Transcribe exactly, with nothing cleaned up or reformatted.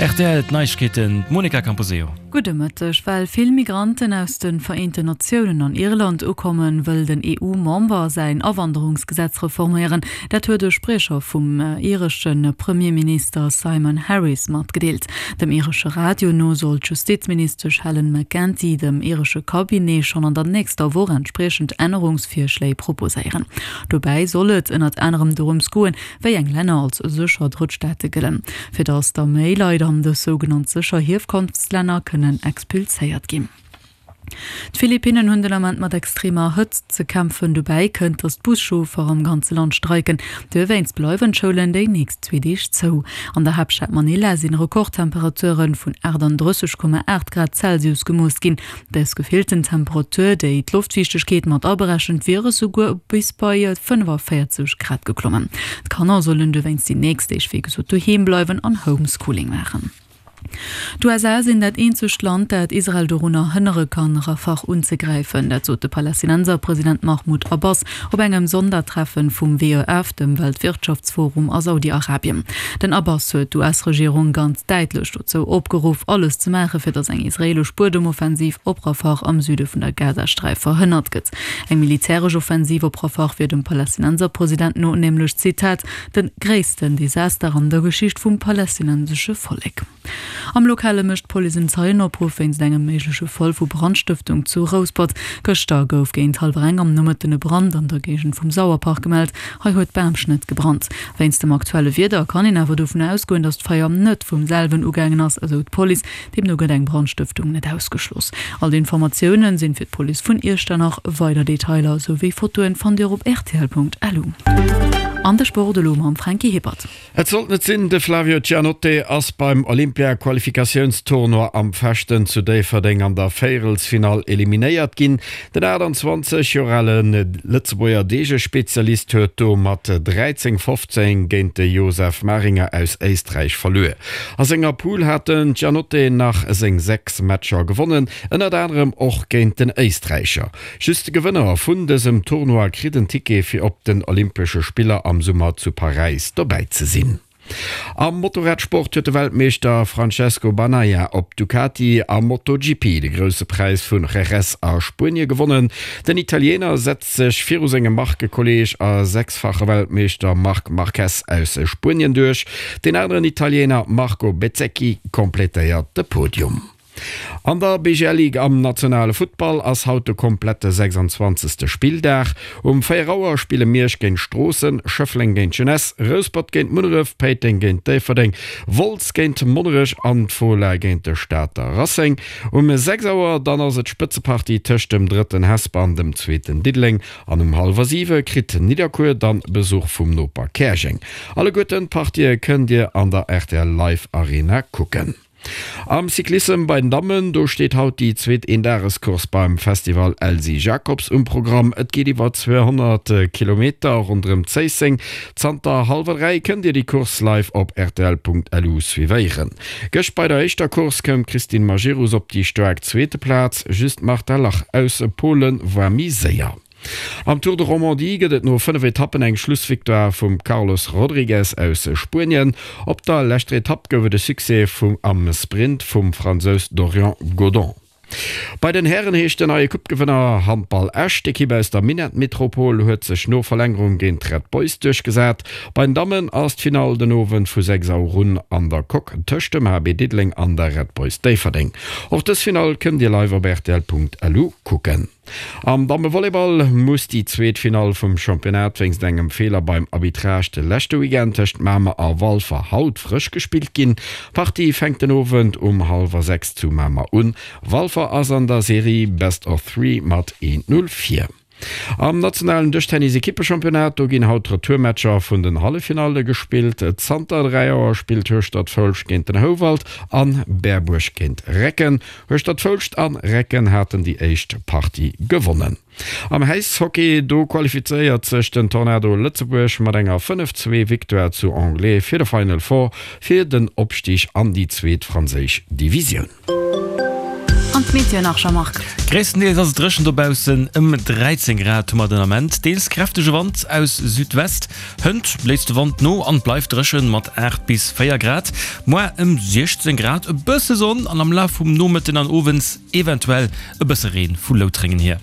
Rtl, D'Neiegkeeten, d'Monica Camposeo. Gudde Mëtteg. Well vill Migranten aus de Vereenten Natiounen an Irland ukommen, wëll den E U-Member säin Awanderungsgesetz reforméieren. Dat huet e Spriecher vum iresche Premierminister Simon Harris matgedeelt. Dem iresche Radio no soll d'Justizministesch Helen McEntee dem iresche Cabinet schonn an der nächster Woch entspriechend Ännerungsvirschléi proposéieren. Dobäi soll et ënnert anerem dorëms goen, wéi eng Länner als sécher Drëttstaate gëllen, fir datt da méi Leit an dës sougenannt sécher Hierkonftslänner kënnen expulséiert ginn. D'Philippinnen hunn den Ament mat extremer Hëtzt ze kämpfen. Dobäi kënnt, datt d'Buschauffer am ganze Land streiken. Dowéinst bleiwen d'Schoulen déi nächst zwee Deeg zou. An der Haaptstad Manila sinn Rekordtemperature vun achtandrësseg Komma aacht Grad Celsius gemooss ginn. Dës gefillten Temperatur, déi d'Loftfiichtegkeet mat aberechent, wier esouguer bis bei fënnefavéierzeg Grad geklommen. D'Kanner sollen dowéinst déi nächst Deeg wéi gesot doheem bleiwen an Homeschooling maachen. D'U S A sinn dat eenzegt Land, dat Israel dorunner hënnere kann, Rafah unzegräifen. Dat sot de Palästinenserpresident Mahmoud Abbas op engem Sondertreffen vum W E F, dem Weltwirtschaftsforum a Saudi-Arabien. Den Abbas huet d'U S-Regierung ganz däitlech dozou opgeruff, alles ze maachen, fir datt eng israeelesch Buedemoffensiv op Rafah am Süde vun der Gazasträif verhënnert gëtt. Eng militäresch Offensiv op Rafah wier dem Palästinenserpresident no nämlech, Zitat, de gréissten Desaster an der Geschicht vum palästinensesche Vollek. Am Lokale mécht d'Police en Zeienopruff wéinst engem méigleche Fall vu Brandstëftung zu Rouspert. Gëschter gouf géint hallwer eng am Nomëtten e Brand an der Géigend vum Sauerpark gemellt. Hei huet Bamschnëtt gebrannt. Wéinst dem aktuelle Wieder kann een awer dovun ausgoen, datt d'Feier net vum selwen ugaangen ass, esou d'Police. Deemno gëtt eng Brandstëftung net ausgeschloss. All d'Informatioune sinn fir d'Police vun Iechternach. Weider Detailer souwéi Fotoen fannt Dir op R T L Punkt L U. An de Sport elo mam Franky Hippert. Et sollt net sinn, de Flavio Giannotte ass beim Olympia-Qualifikatiounstournoi am Fechten zu Déifferdeng an der Véierelsfinall eliminéiert ginn. Den achtanzwanzeg Joer ale Lëtzebuerger Deegespezialist huet do mat dräizéng fofzéng géint de Josef Maringer aus Éisträich verluer. A senger Pool hat den Giannotte nach seng sechs Matcher gewonnen, ënnert anerem och géint den Éisträicher. Just de Gewënner vun dësem Tournoi kritt en Ticket fir op den Olympesche Spiller am Summer zu Paräis dobäi ze sinn. Am Motorradsport huet de Weltmeeschter Francesco Bagnaia op Ducati am MotoGP de Grousse Präis vun Jerez a Spuenie gewonnen. Den Italiener setzt sech viru sengem Markekolleeg a sechsfache Weltmeeschter Marc Marquez aus Spuenien duerch. Den aneren Italiener Marco Bezzecchi komplettéiert de Podium. An der B G L Ligue am nationale Futtball ass haut de komplette sechsanzwanzegste. Spilldag. Um véier Auer spille Miersch géint Stroossen, Schëffleng géint Jeunesse, Rouspert géint Munneref, Péiteng géint Déifferdeng, Wolz géint Monnerech an d'Fola géint de Stater Racing. Um sechs Auer dann ass et d'Spëtzepartie tëscht dem drëtten Hesper an dem zweeten Diddeleng an um hallwer siwe kritt Nidderkuer dann Besuch vum Noper Käerjeng. Alleguerten d'Partië kënnt Dir an der R T L Live Arena kucken. Am Cyclissem bei den Dammen, do steet haut déi zweet Eendagescourse beim Festival Elsy Jacobs um Programm. Et geet iwwer zweehonnert Kilometer ronderëm Zéisseng. Zanter hallwer dräi kënnt Dir déi Course live op R T L Punkt L U suivéieren. Gëscht bei der éischter Course koum d'Christine Majerus op déi staark zweete Plaz, just d'Marta Lach aus Polen war méi séier. Am Tour de Romandie gëtt et no fënnef Etappen eng Schlussvictoire vum Carlos Rodriguez aus Spuenien. Op der leschter Etapp gouf et de Succès vum am Sprint vum Fransous Dorian Godon. Bei den Hären heescht den neie Coupe-Gewënner Handball Esch. D'Ekipp aus der Minettmetropol huet sech no Verlängerung géint d'Red Boys duerchgesat. Bei den Dammen ass d'Finall den Owend vu sechs Auer un an der Coque tëscht dem H B Diddeleng an der Red Boys Déifferdeng. Och dës Finall kënnt Dir live op R T L Punkt L U kucken. Am Dammevolleyball muss déi zweet Finall vum Championnat wéinst engem Feeler beim Arbitrage de leschte Weekend tëscht Mamer a Walfer haut frësch gespillt ginn. D'Partie fänkt den Owend um hallwer sechs zu Mamer un. Walfer ass an der Serie Best of Three mat eent Null vir. Am nationalen Dëschtennis-Ekippechampionnat, do ginn haut d'Retourmatcher vun den Halleffinalle gespillt. Zanter dräi Auer spillt Hueschtert-Foulscht géint den Houwald an Berbuerg géint Recken. Hueschtert-Foulscht an Recken haten déi éischt Partie gewonnen. Am Äishockey, do qualifizéiert sech den Tornado Lëtzebuerg mat enger fënnef zwee Victoire zu Anglet fir de Final Four fir den Opstig an déi zweet franséisch Divisioun. An An d'Meteo nach, Jean-Marc. Gréisstendeels ass et dréchen dobaussen, ëm dräizéng Grad hu mer den Ament. Deels kräftege Wand aus Südwest. Hënt léisst de Wand no an et bleift dréchen mat aacht bis véier Grad. Moar ëm siechzéng Grad, e bësse Sonn an am Laf vum Nomëtten an Owends eventuell e bësse Reen vu Loutrengen hier.